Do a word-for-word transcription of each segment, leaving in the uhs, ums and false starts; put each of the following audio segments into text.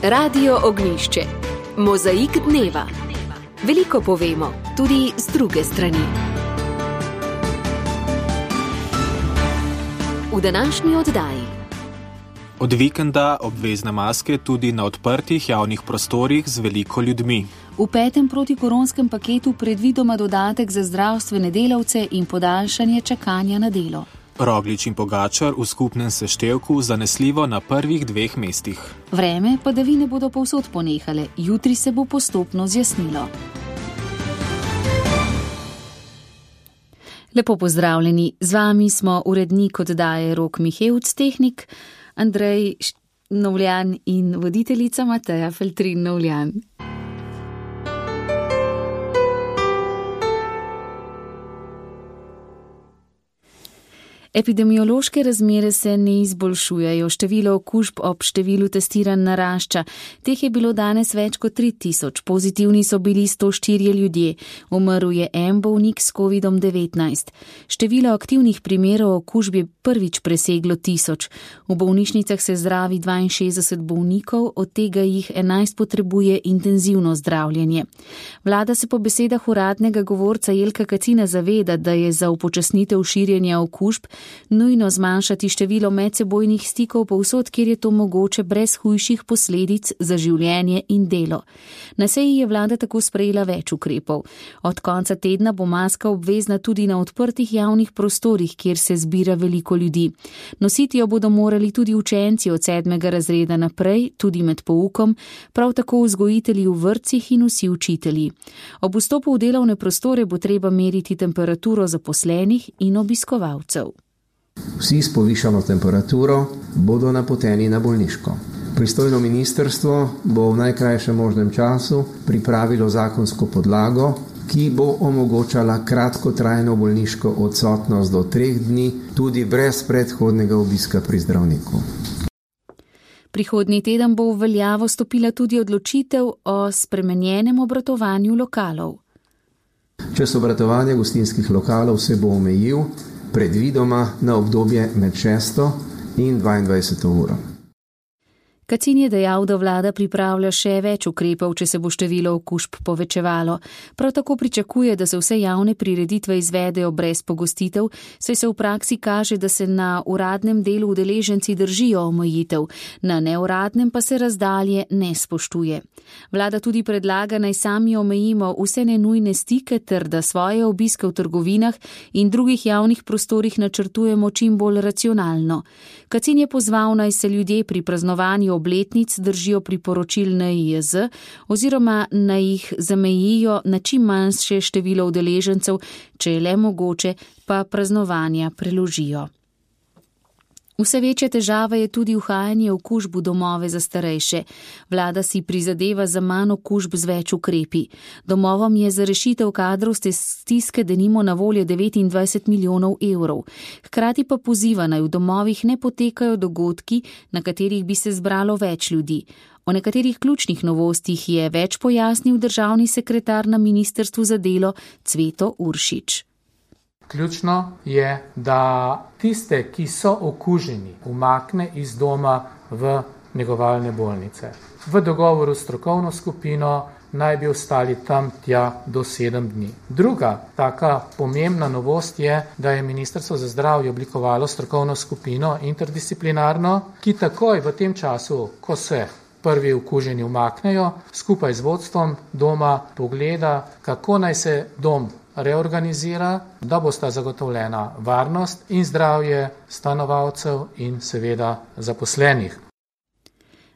Radio Ognjišče. Mozaik dneva. Veliko povemo, tudi z druge strani. V današnji oddaji. Od vikenda obvezne maske tudi na odprtih javnih prostorih z veliko ljudmi. V petem protikoronskem paketu predvidoma dodatek za zdravstvene delavce in podaljšanje čakanja na delo. Roglič in Pogačar v skupnem seštevku zanesljivo na prvih dveh mestih. Vreme padavine bodo povsod ponehale, jutri se bo postopno zjasnilo. Lepo pozdravljeni, z vami smo urednik oddaje Rok Mihevc, tehnik Andrej Novljan in voditeljica Mateja Feltrin Novljan. Epidemiološke razmere se ne izboljšujejo, število okužb ob številu testiranj narašča. Teh je bilo danes več kot tri tisoč, pozitivni so bili sto štirje ljudje, umrl je en bolnik s kovidom devetnajst. Število aktivnih primerov okužb je prvič preseglo tisoč. V bolnišnicah se zdravi dvainšestdeset bolnikov, od tega jih enajst potrebuje intenzivno zdravljenje. Vlada se po besedah uradnega govorca Jelka Kacina zaveda, da je za upočasnitev širjenja okužb nujno zmanjšati število medsebojnih stikov povsod, kjer je to mogoče brez hujših posledic za življenje in delo. Na seji je vlada tako sprejela več ukrepov. Od konca tedna bo maska obvezna tudi na odprtih javnih prostorih, kjer se zbira veliko ljudi. Nositi jo bodo morali tudi učenci od sedmega razreda naprej, tudi med poukom, prav tako vzgojitelji v vrtcih in vsi učitelji. Ob vstopu v delovne prostore bo treba meriti temperaturo zaposlenih in obiskovalcev. Vsi s povišano temperaturo bodo napoteni na bolniško. Pristojno ministrstvo bo v najkrajšem možnem času pripravilo zakonsko podlago, ki bo omogočala kratkotrajno bolniško odsotnost do treh dni, tudi brez predhodnega obiska pri zdravniku. Prihodnji teden bo v veljavo stopila tudi odločitev o spremenjenem obratovanju lokalov. Čas obratovanja gostinskih lokalov se bo omejil predvidoma na obdobje med šesto in dvaindvajseto uro. Kacin je dejal, da vlada pripravlja še več ukrepov, če se bo število okužb povečevalo. Prav tako pričakuje, da se vse javne prireditve izvedejo brez pogostitev, saj se v praksi kaže, da se na uradnem delu udeleženci držijo omejitev, na neuradnem pa se razdalje ne spoštuje. Vlada tudi predlaga, naj sami omejimo vse nenujne stike ter da svoje obiske v trgovinah in drugih javnih prostorih načrtujemo čim bolj racionalno. Kacin je pozval, naj se ljudje pri praznovanju obletnic držijo priporočil N I J Z oziroma naj jih zamejijo na čim manjše število udeležencev, če je le mogoče, pa praznovanja preložijo. Vse večja težava je tudi uhajanje okužb v domove za starejše. Vlada si prizadeva za manj okužb z več ukrepi. Domovom je za rešitev kadrovske stiske denimo na voljo devetindvajset milijonov evrov. Hkrati pa poziva, naj v domovih ne potekajo dogodki, na katerih bi se zbralo več ljudi. O nekaterih ključnih novostih je več pojasnil državni sekretar na Ministrstvu za delo Cveto Uršič. Ključno je, da tiste, ki so okuženi, umakne iz doma v negovalne bolnice. V dogovoru s strokovno skupino naj bi ostali tam tja do sedem dni. Druga taka pomembna novost je, da je Ministrstvo za zdravje oblikovalo strokovno skupino interdisciplinarno, ki takoj v tem času, ko se prvi okuženi umaknejo, skupaj z vodstvom doma pogleda, kako naj se dom reorganizira, da bosta zagotovljena varnost in zdravje stanovalcev in seveda zaposlenih.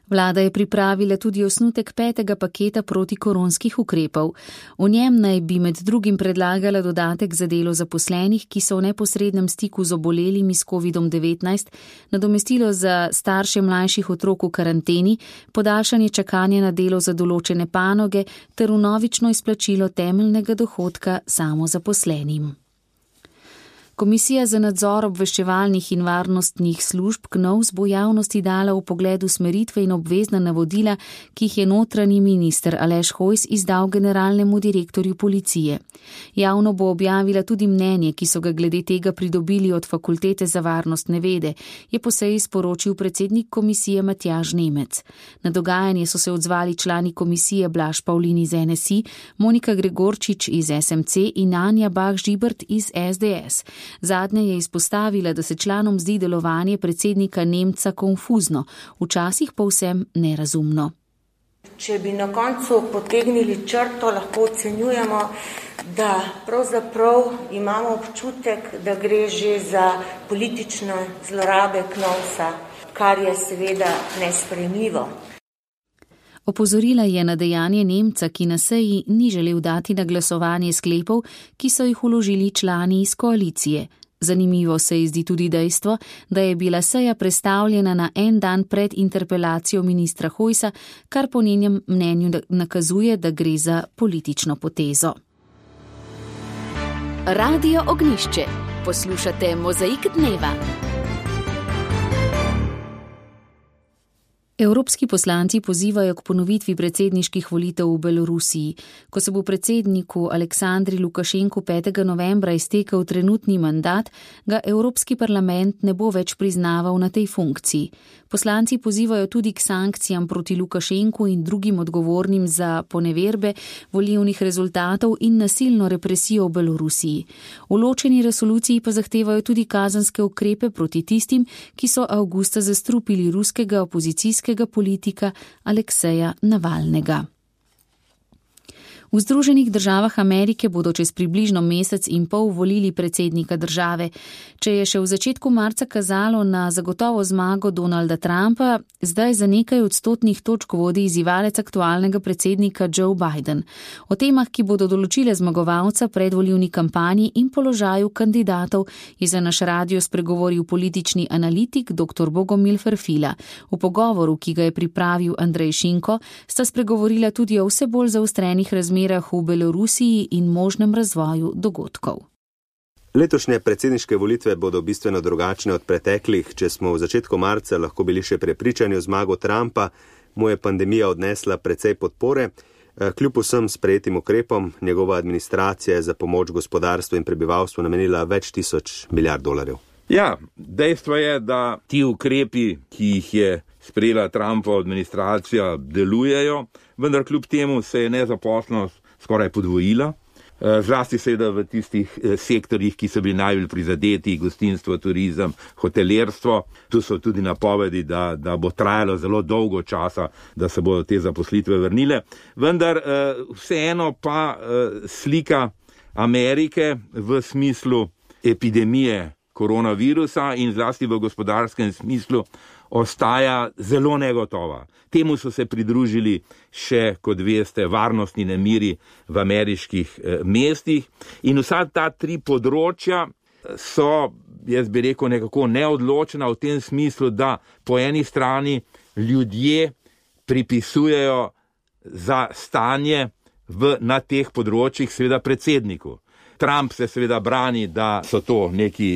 Vlada je pripravila tudi osnutek petega paketa protikoronskih ukrepov. V njem naj bi med drugim predlagala dodatek za delo zaposlenih, ki so v neposrednem stiku z obolelimi s kovidom devetnajst, nadomestilo za starše mlajših otrok v karanteni, podaljšanje čakanja na delo za določene panoge ter vnovično izplačilo temeljnega dohodka samozaposlenim. Komisija za nadzor obveščevalnih in varnostnih služb K N O V S bo javnosti dala v pogledu smeritve in obvezna navodila, ki jih je notranji minister Aleš Hojs izdal generalnemu direktorju policije. Javno bo objavila tudi mnenje, ki so ga glede tega pridobili od Fakultete za varnostne vede, je po seji sporočil predsednik komisije Matjaž Nemec. Na dogajanje so se odzvali člani komisije Blaž Pavlin iz N S I, Monika Gregorčič iz S M C in Anja Bah-Žibert iz S D S. Zadnja je izpostavila, da se članom zdi delovanje predsednika Nemca konfuzno, včasih povsem nerazumno. Če bi na koncu potegnili črto, lahko ocenjujemo, da pravzaprav imamo občutek, da gre že za politične zlorabe K N O V S-a, kar je seveda nesprejemljivo. Opozorila je na dejanje Nemca, ki na seji ni želel dati na glasovanje sklepov, ki so jih vložili člani iz koalicije. Zanimivo se je zdi tudi dejstvo, da je bila seja prestavljena na en dan pred interpelacijo ministra Hojsa, kar po njenem mnenju nakazuje, da gre za politično potezo. Radio Ognjišče. Poslušate Mozaik dneva. Evropski poslanci pozivajo k ponovitvi predsedniških volitev v Belorusiji. Ko se bo predsedniku Aleksandru Lukašenku petega novembra iztekel trenutni mandat, ga Evropski parlament ne bo več priznaval na tej funkciji. Poslanci pozivajo tudi k sankcijam proti Lukašenku in drugim odgovornim za poneverbe volilnih rezultatov in nasilno represijo v Belorusiji. V ločeni resoluciji pa zahtevajo tudi kazenske ukrepe proti tistim, ki so avgusta zastrupili ruskega opozicijskega politika Alekseja Navalnega. V Združenih državah Amerike bodo čez približno mesec in pol volili predsednika države. Če je še v začetku marca kazalo na zagotovo zmago Donalda Trumpa, zdaj za nekaj odstotnih točk vodi izzivalec aktualnega predsednika Joe Biden. O temah, ki bodo določile zmagovalca predvolilni kampanji in položaju kandidatov, je za naš radio spregovoril politični analitik dr. Bogomil Ferfila. V pogovoru, ki ga je pripravil Andrej Šinko, sta spregovorila tudi o vse bolj zaostrenih razmerah v Belorusiji in možnem razvoju dogodkov. Letošnje predsedniške volitve bodo bistveno drugačne od preteklih. Če smo v začetku marca lahko bili še prepričani o zmago Trumpa, mu je pandemija odnesla precej podpore. Kljub vsem sprejetim ukrepom, njegova administracija je za pomoč gospodarstvu in prebivalstvu namenila več tisoč milijard dolarjev. Ja, dejstvo je, da ti ukrepi, ki jih je sprejela Trumpova administracija, delujejo, vendar kljub temu se je nezaposlenost skoraj podvojila. Zlasti seveda v tistih sektorjih, ki so bili najbolj prizadeti, gostinstvo, turizem, hotelirstvo. Tu so tudi napovedi, da, da bo trajalo zelo dolgo časa, da se bodo te zaposlitve vrnile. Vendar vseeno pa slika Amerike v smislu epidemije koronavirusa in zlasti v gospodarskem smislu ostaja zelo negotova. Temu so se pridružili še, kot veste, varnostni nemiri v ameriških eh, mestih in vsa ta tri področja so, jaz bi rekel, nekako neodločena v tem smislu, da po eni strani ljudje pripisujejo za stanje v, na teh področjih seveda predsedniku. Trump se seveda brani, da so to neki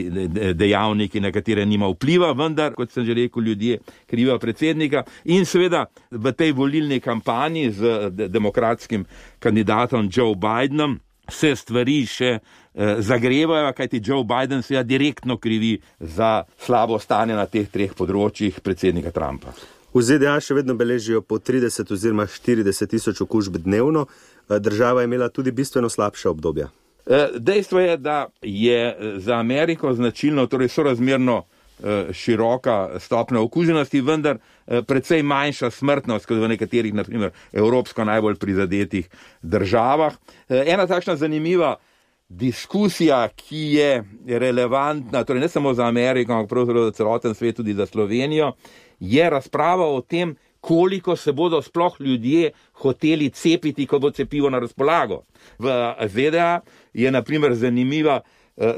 dejavniki, na katere nima vpliva, vendar, kot sem že rekel, ljudje krivijo predsednika. In seveda v tej volilni kampanji z demokratskim kandidatom Joe Bidenom se stvari še eh, zagrevajo, kajti Joe Biden seveda direktno krivi za slabo stanje na teh treh področjih predsednika Trumpa. V Z D A še vedno beležijo po trideset oziroma štirideset tisoč okužb dnevno. Država je imela tudi bistveno slabša obdobja. Dejstvo je, da je za Ameriko značilno, torej sorazmerno široka stopnja okuženosti, vendar precej manjša smrtnost kot v nekaterih, na primer, evropsko najbolj prizadetih državah. Ena takšna zanimiva diskusija, ki je relevantna, torej ne samo za Ameriko, ampak pravzaprav za celoten svet, tudi za Slovenijo, je razprava o tem, koliko se bodo sploh ljudje hoteli cepiti, ko bo cepivo na razpolago. V Z D A je na primer zanimiva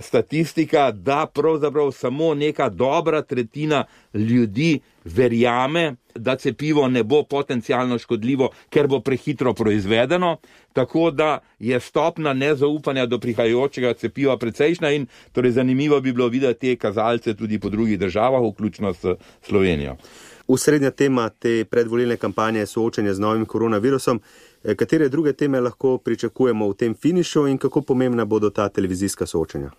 statistika, da pravzaprav samo neka dobra tretjina ljudi verjame, da cepivo ne bo potencialno škodljivo, ker bo prehitro proizvedeno, tako da je stopna nezaupanja do prihajajočega cepiva precejšna in torej zanimivo bi bilo videti te kazalce tudi po drugih državah, vključno s Slovenijo. Usrednja tema te predvolilne kampanje je soočenje z novim koronavirusom. Katere druge teme lahko pričakujemo v tem finišu in kako pomembna bodo ta televizijska soočenja?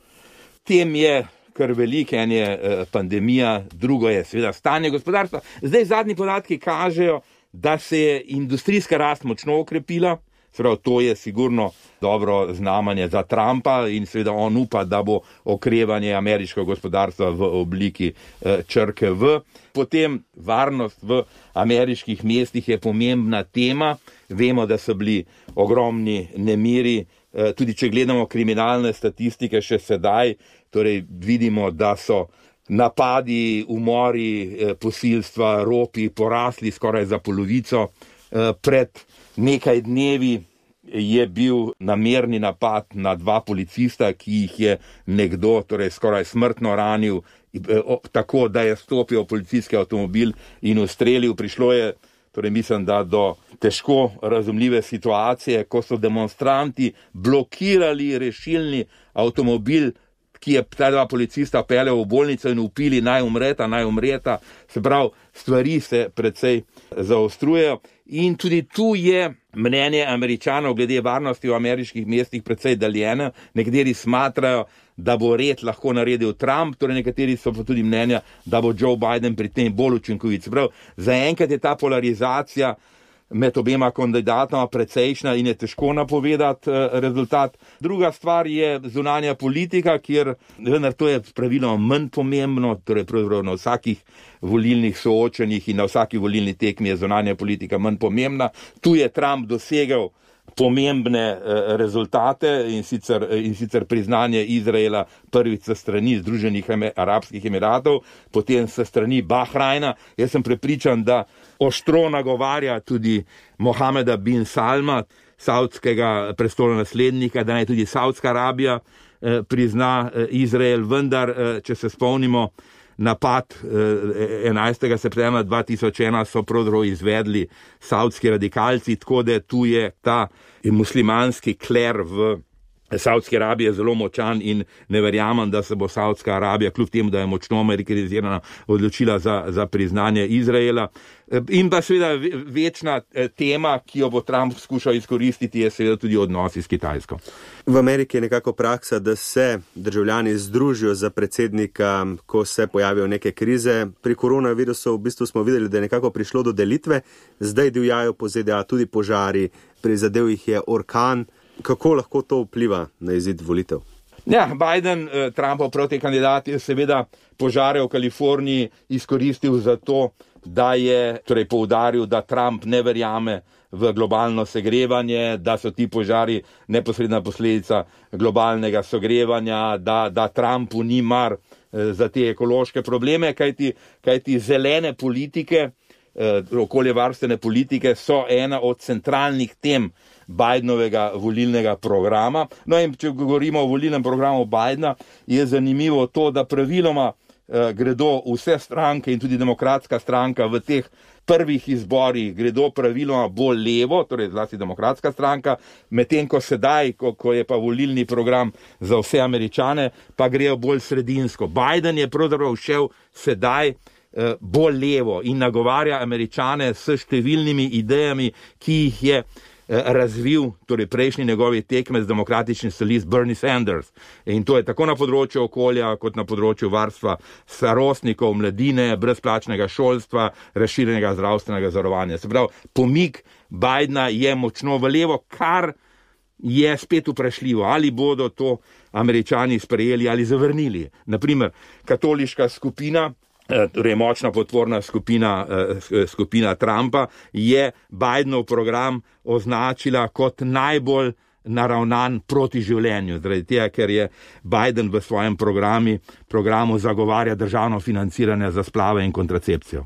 Tem je kar veliko, en je pandemija, drugo je seveda stanje gospodarstva. Zdaj zadnji podatki kažejo, da se je industrijska rast močno okrepila, seveda to je sigurno dobro znamenje za Trumpa in seveda on upa, da bo okrevanje ameriškega gospodarstva v obliki črke V. Potem varnost v ameriških mestih je pomembna tema. Vemo, da so bili ogromni nemiri, tudi če gledamo kriminalne statistike še sedaj, torej vidimo, da so napadi, umori, posilstva, ropi porasli skoraj za polovico. Pred nekaj dnevi je bil namerni napad na dva policista, ki jih je nekdo torej skoraj smrtno ranil, tako da je stopil v policijski avtomobil in ustrelil. Prišlo je, torej mislim, da do težko razumljive situacije, ko so demonstranti blokirali rešilni avtomobil, ki je ta dva policista peljal v bolnico in upili naj umreta, naj umreta. Se pravi, stvari se precej zaostrujejo in tudi tu je mnenje Američanov glede varnosti v ameriških mestih precej daljeno. Nekateri smatrajo, da bo red lahko naredil Trump, torej nekateri so pa tudi mnenja, da bo Joe Biden pri tem bolj učinkovit. Se pravi, zaenkrat je ta polarizacija med obema kandidatoma precejšna in je težko napovedati rezultat. Druga stvar je zunanja politika, kjer, vendar to je praviloma manj pomembno, torej pravzaprav na vsakih volilnih soočenjih in na vsaki volilni tekmi je zunanja politika manj pomembna. Tu je Trump dosegel pomembne rezultate in sicer, in sicer priznanje Izraela prvič sa strani Združenih arabskih emiratov, potem sa strani Bahrajna. Jaz sem prepričan, da ostro nagovarja tudi Mohameda bin Salma, saudskega prestolonaslednika, da naj tudi Saudska Arabija prizna Izrael, vendar, če se spomnimo, napad enajstega septembra dva tisoč ena so pravzaprav izvedli saudski radikalci, tako da tu je ta muslimanski kler v Saudski Arabiji zelo močan in ne verjamem, da se bo Saudska Arabija, kljub temu, da je močno amerikanizirana, odločila za, za priznanje Izraela. In pa seveda večna tema, ki jo bo Trump skušal izkoristiti, je seveda tudi odnosi s Kitajsko. V Ameriki je nekako praksa, da se državljani združijo za predsednika, ko se pojavijo neke krize. Pri koronavirusu v bistvu smo videli, da je nekako prišlo do delitve, zdaj divjajo po Z D A tudi požari, prizadel jih je orkan. Kako lahko to vpliva na izid volitev? Ja, Biden, Trumpov proti kandidat, je seveda požare v Kaliforniji izkoristil za to, da je torej poudaril, da Trump ne verjame v globalno segrevanje, da so ti požari neposredna posledica globalnega segrevanja, da, da Trumpu ni mar za te ekološke probleme, kajti, kajti zelene politike, okoljevarstvene politike so ena od centralnih tem Bidenovega volilnega programa. No in če govorimo o volilnem programu Bidena, je zanimivo to, da praviloma eh, gredo vse stranke in tudi demokratska stranka v teh prvih izborih gredo praviloma bolj levo, torej zlasti demokratska stranka, medtem ko sedaj, ko, ko je pa volilni program za vse Američane, pa grejo bolj sredinsko. Biden je pravzaprav šel sedaj eh, bolj levo in nagovarja Američane s številnimi idejami, ki jih je razvil, torej prejšnji njegovi tekmec demokratični socialist Bernie Sanders. In to je tako na področju okolja, kot na področju varstva starostnikov, mladine, brezplačnega šolstva, razširjenega zdravstvenega zavarovanja. Se pravi, pomik Bidena je močno v levo, kar je spet vprašljivo, ali bodo to Američani sprejeli ali zavrnili. Naprimer, katoliška skupina, torej močna podporna skupina, skupina Trumpa, je Bidenov program označila kot najbolj naravnan proti življenju, zaradi tega, ker je Biden v svojem programi, programu zagovarja državno financiranje za splave in kontracepcijo.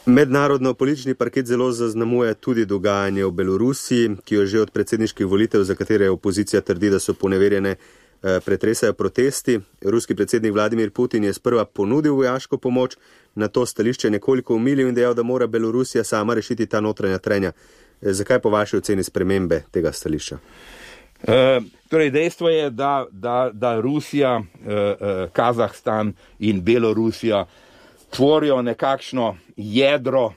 Mednarodno politični parket zelo zaznamuje tudi dogajanje v Belorusiji, ki jo že od predsedniških volitev, za katere opozicija trdi, da so poneverjene, pretresajo protesti. Ruski predsednik Vladimir Putin je sprva ponudil vojaško pomoč, na to stališče nekoliko umilil in dejal, da mora Belorusija sama rešiti ta notranja trenja. Zakaj po vaši oceni spremembe tega stališča? E, torej dejstvo je, da, da, da Rusija, e, Kazahstan in Belorusija tvorijo nekakšno jedro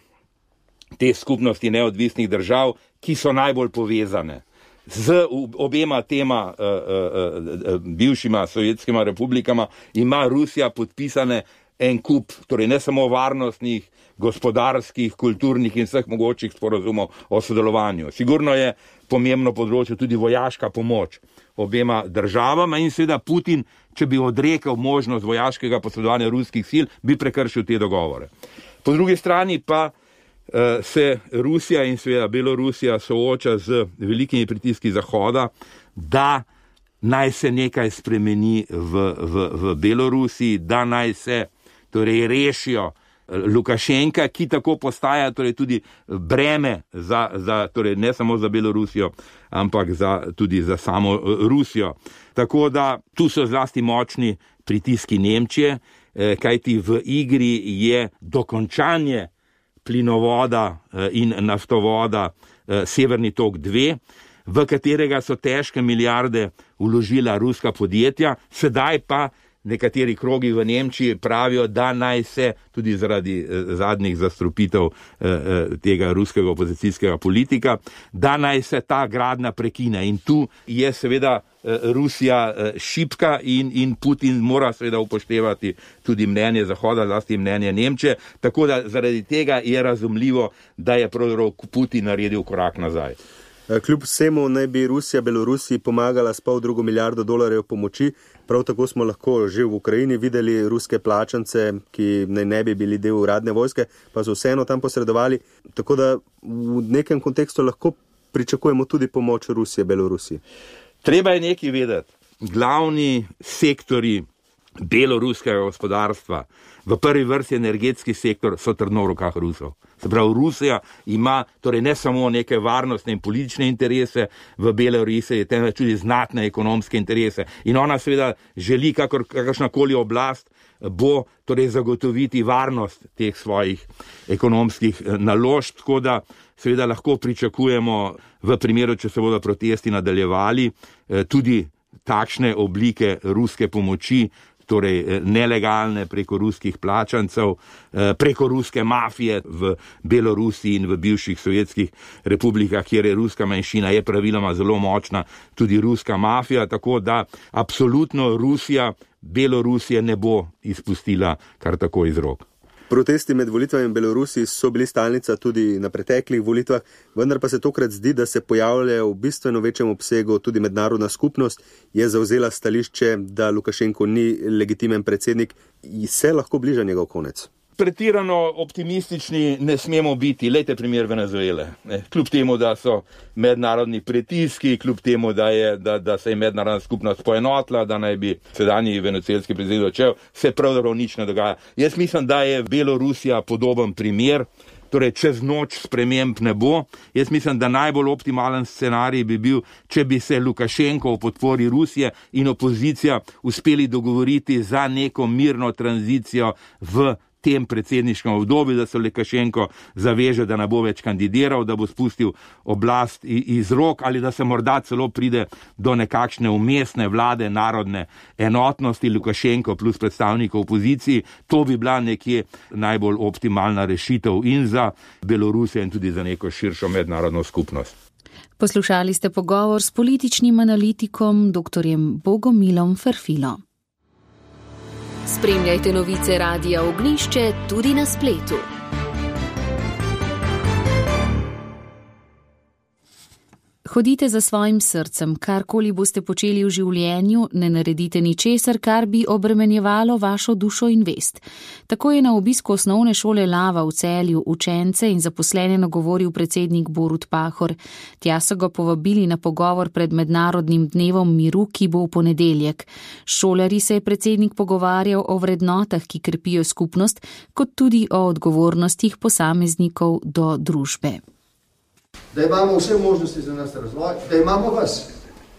te skupnosti neodvisnih držav, ki so najbolj povezane. Z obema tema uh, uh, uh, bivšima sovjetskima republikama ima Rusija podpisane en kup, torej ne samo varnostnih, gospodarskih, kulturnih in vseh mogočih sporazumov o sodelovanju. Sigurno je pomembno področje tudi vojaška pomoč obema državama in seveda Putin, če bi odrekel možnost vojaškega posredovanja ruskih sil, bi prekršil te dogovore. Po drugi strani pa se Rusija in seveda Belorusija sooča z velikimi pritiski Zahoda, da naj se nekaj spremeni v, v, v Belorusiji, da naj se torej rešijo Lukašenka, ki tako postaja torej tudi breme za, za, torej ne samo za Belorusijo, ampak za, tudi za samo Rusijo. Tako da tu so zlasti močni pritiski Nemčije, kajti v igri je dokončanje plinovoda in naftovoda Severni tok dva, v katerega so težke milijarde vložila ruska podjetja, sedaj pa nekateri krogi v Nemčiji pravijo, da naj se tudi zaradi zadnjih zastrupitev tega ruskega opozicijskega politika, da naj se ta gradnja prekine. In tu je seveda Rusija šibka in, in Putin mora seveda upoštevati tudi mnenje Zahoda, zlasti mnenje Nemčije, tako da zaradi tega je razumljivo, da je pravzaprav Putin naredil korak nazaj. Kljub vsemu naj bi Rusija Belorusiji pomagala s pol drugo milijardo dolarjev pomoči, prav tako smo lahko že v Ukrajini videli ruske plačance, ki naj ne bi bili del uradne vojske, pa so vseeno tam posredovali, tako da v nekem kontekstu lahko pričakujemo tudi pomoč Rusije Belorusiji. Treba je nekaj vedeti. Glavni sektori beloruskega gospodarstva, v prvi vrsti energetski sektor, so trdno v rokah Rusov. Se pravi, Rusija ima torej ne samo neke varnostne in politične interese v Belorusiji, temveč tudi znatne ekonomske interese. In ona seveda želi, kakor, kakršnakoli oblast, bo torej zagotoviti varnost teh svojih ekonomskih naložb, tako da seveda lahko pričakujemo v primeru, če se bodo protesti nadaljevali, tudi takšne oblike ruske pomoči, torej nelegalne preko ruskih plačancev, preko ruske mafije v Belorusiji in v bivših sovjetskih republikah, kjer je ruska manjšina, je praviloma zelo močna tudi ruska mafija, tako da absolutno Rusija Belorusije ne bo izpustila kar tako iz rok. Protesti med volitvami v Belorusiji so bili stalnica tudi na preteklih volitvah, vendar pa se tokrat zdi, da se pojavljajo v bistveno večjem obsegu tudi mednarodna skupnost, je zavzela stališče, da Lukašenko ni legitimen predsednik in se lahko bliža njegov konec. Pretirano optimistični ne smemo biti, lejte primer Venezuele. Kljub temu, da so mednarodni pritiski, kljub temu, da, je, da, da se je mednarodna skupnost poenotila, da naj bi sedanji venezuelski predsednik odšel, se pravzaprav nič ne dogaja. Jaz mislim, da je Belorusija podoben primer, torej čez noč sprememb ne bo. Jaz mislim, da najbolj optimalen scenarij bi bil, če bi se Lukašenko v podpori Rusije in opozicija uspeli dogovoriti za neko mirno tranzicijo v tem predsedniškem obdobju, da se Lukašenko zaveže, da ne bo več kandidiral, da bo spustil oblast iz rok ali da se morda celo pride do nekakšne umestne vlade narodne enotnosti Lukašenko plus predstavnikov opoziciji. To bi bila nekje najbolj optimalna rešitev in za Belorusijo in tudi za neko širšo mednarodno skupnost. Poslušali ste pogovor s političnim analitikom doktorjem Bogomilom Ferfilo. Spremljajte novice Radia Ognjišče tudi na spletu. Hodite za svojim srcem, karkoli boste počeli v življenju, ne naredite ničesar, kar bi obremenjevalo vašo dušo in vest. Tako je na obisku osnovne šole Lava v Celju učence in zaposlene nagovoril predsednik Borut Pahor. Tja so ga povabili na pogovor pred Mednarodnim dnevom miru, ki bo v ponedeljek. S šolarji se je predsednik pogovarjal o vrednotah, ki krepijo skupnost, kot tudi o odgovornostih posameznikov do družbe. Da imamo vse možnosti za nas razvoj, da imamo vas,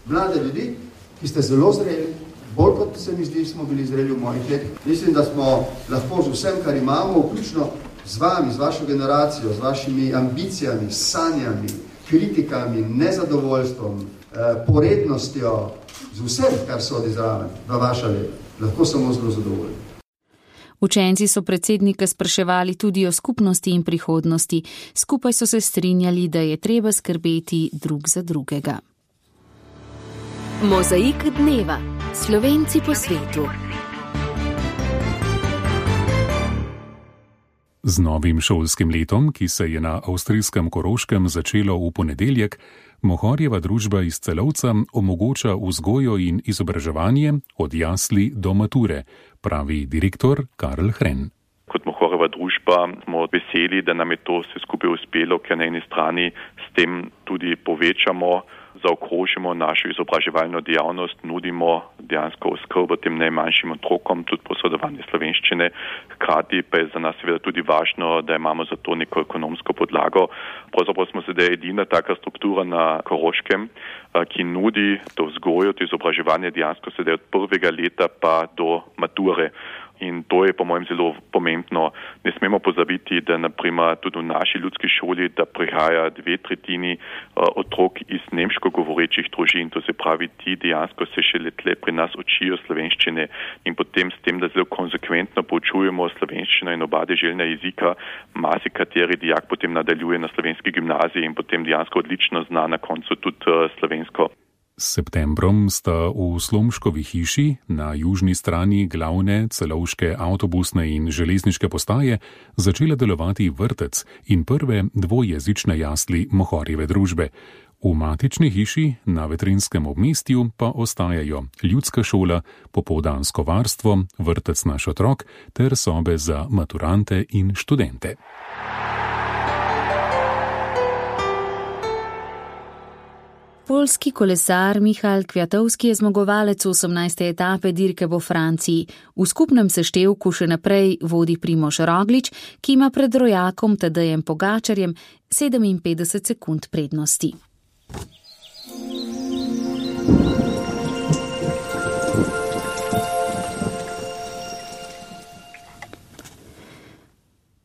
mlade ljudi, ki ste zelo zreli, bolj kot se mi zdi, smo bili zreli v mojih letih. Mislim, da smo lahko z vsem, kar imamo, vključno z vami, z vašo generacijo, z vašimi ambicijami, sanjami, kritikami, nezadovoljstvom, porednostjo, z vsem, kar sodi zraven v vaša leta. Lahko samo zelo zadovoljni. Učenci so predsednika spraševali tudi o skupnosti in prihodnosti. Skupaj so se strinjali, da je treba skrbeti drug za drugega. Mozaik dneva. Slovenci po svetu. Z novim šolskim letom, ki se je na avstrijskem Koroškem začelo v ponedeljek, Mohorjeva družba iz Celovca omogoča vzgojo in izobraževanje od jasli do mature, pravi direktor Karl Hren. Kot Mohorjeva družba smo veseli, da nam je to vse skupaj uspelo, ker na eni strani s tem tudi povečamo, zaokrožimo našo izobraževalno dejavnost, nudimo dejansko oskrbo tem najmanjšim otrokom, tudi posredovanje slovenščine. Hkrati pa je za nas seveda tudi važno, da imamo za to neko ekonomsko podlago. Pravzaprav smo sedaj edina taka struktura na Koroškem, ki nudi to vzgojo, to izobraževanje dejansko sedaj od prvega leta pa do mature. In to je po mojem zelo pomembno. Ne smemo pozabiti, da naprimer tudi v naši ljudski šoli, da prihaja dve tretjini otrok iz nemško govorečih družin, to se pravi, ti dejansko se šele tle pri nas učijo slovenščine in potem s tem, da zelo konsekventno poučujemo slovenščino in oba deželna jezika, marsikateri dijak potem nadaljuje na slovenski gimnaziji in potem dejansko odlično zna na koncu tudi slovensko. S septembrom sta v Slomškovi hiši na južni strani glavne celovške avtobusne in železniške postaje začela delovati vrtec in prve dvojezične jasli Mohorjeve družbe. V matični hiši na Vetrinskem obmestju pa ostajajo ljudska šola, popoldansko varstvo, vrtec Naš otrok ter sobe za maturante in študente. Poljski kolesar Michal Kwiatkowski je zmagovalec osemnajste etape dirke po Franciji. V skupnem seštevku še naprej vodi Primož Roglič, ki ima pred rojakom Tadejem Pogačarjem sedeminpetdeset sekund prednosti.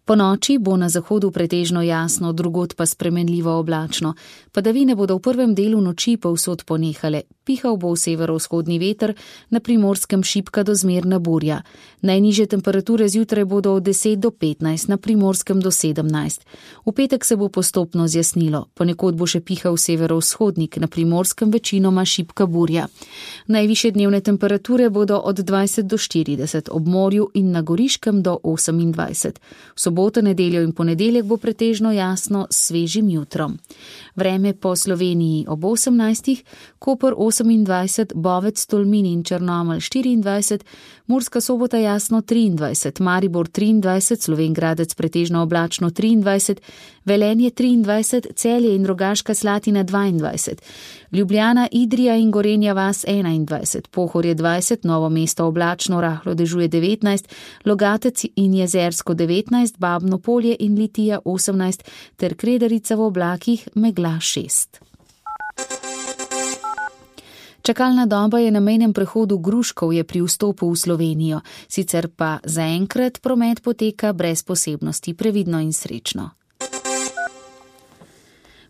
Po noči bo na zahodu pretežno jasno, drugod pa spremenljivo oblačno. Padavine bodo v prvem delu noči povsod ponehale. Pihal bo v severovzhodni veter, na Primorskem šibka do zmerna burja. Najnižje temperature zjutraj bodo od deset do petnajst, na Primorskem do sedemnajst. V petek se bo postopno zjasnilo. Ponekod bo še pihal severovzhodnik, na Primorskem večinoma šibka burja. Najvišje dnevne temperature bodo od dvajset do štirideset, ob morju in na Goriškem do osemindvajset. V soboto, nedeljo in ponedeljek bo pretežno jasno s svežim jutrom. Vreme po Sloveniji ob osemnajstih, Koper osemindvajset, Bovec, Tolmin in Črnomelj štiriindvajset, Murska Sobota jasno triindvajset, Maribor triindvajset, Slovenj Gradec pretežno oblačno triindvajset, Velenje triindvajset, Celje in Rogaška Slatina dvaindvajset, Ljubljana, Idrija in Gorenja vas enaindvajset, Pohorje dvajset, Novo mesto oblačno, rahlo dežuje devetnajst, Logatec in Jezersko devetnajst, Babno Polje in Litija osemnajst ter Kredarica v oblakih megla šest. Čakalna doba je na mejnem prehodu Gruškovje pri vstopu v Slovenijo, sicer pa zaenkrat promet poteka brez posebnosti, previdno in srečno.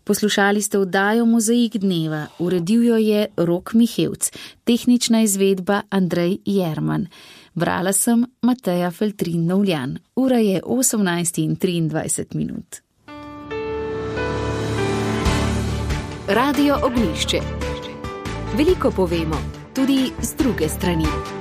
Poslušali ste oddajo Mozaik dneva, uredil jo je Rok Mihevc, tehnična izvedba Andrej Jerman. Brala sem Mateja Feltrin-Novljan. Ura je osemnajst in triindvajset minut. Radio Ognjišče. Veliko povemo, tudi z druge strani.